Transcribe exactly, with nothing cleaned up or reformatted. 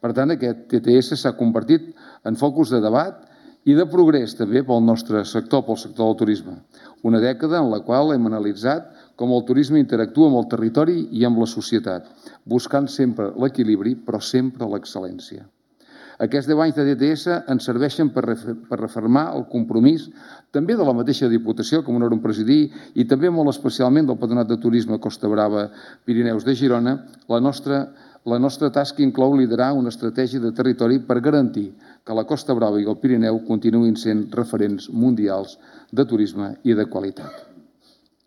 Per tant, aquest T T S s'ha convertit en focus de debat i de progrés també pel nostre sector, pel sector del turisme. Una dècada en la qual hem analitzat com el turisme interactua amb el territori i amb la societat, buscant sempre l'equilibri, però sempre l'excel·lència. Aquests deu anys de T T S ens serveixen per refermar el compromís també de la mateixa Diputació, que m'honoro en presidir, i també molt especialment del Patronat de Turisme Costa Brava Pirineus de Girona. La nostra La nostra tasca inclou liderar una estratègia de territori per garantir que la Costa Brava i el Pirineu continuïn sent referents mundials de turisme i de qualitat.